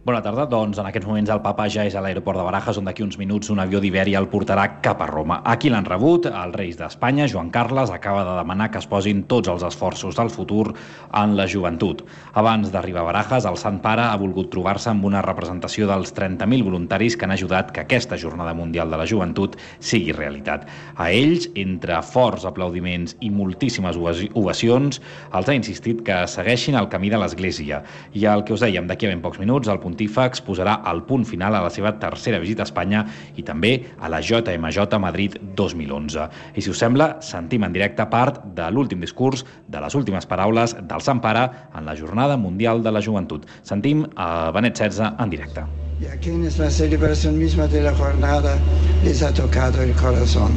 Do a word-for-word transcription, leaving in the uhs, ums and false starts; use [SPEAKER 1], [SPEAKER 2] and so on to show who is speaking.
[SPEAKER 1] Bona tarda. Doncs en aquests moments el papa ja és a l'aeroport de Barajas, on d'aquí uns minuts un avió d'Iberia el portarà cap a Roma. Aquí l'han rebut. Els reis d'Espanya, Joan Carles, acaba de demanar que es posin tots els esforços del futur en la joventut. Abans d'arribar a Barajas, el Sant Pare ha volgut trobar-se amb una representació dels trenta mil voluntaris que han ajudat que aquesta Jornada Mundial de la Joventut sigui realitat. A ells, entre forts aplaudiments i moltíssimes ovacions, els ha insistit que segueixin el camí de l'Església. I el que us dèiem, d'aquí a ben pocs minuts, el pontífex posarà el punt final a la seva tercera visita a Espanya i també a la J M J Madrid dos mil onze. I si us sembla, sentim en directe part de l'últim discurs, de les últimes paraules del Sant Pare en la Jornada Mundial de la Joventut. Sentim a Benet setze en directe.
[SPEAKER 2] Y a quienes la celebración misma de la jornada les ha tocado el corazón.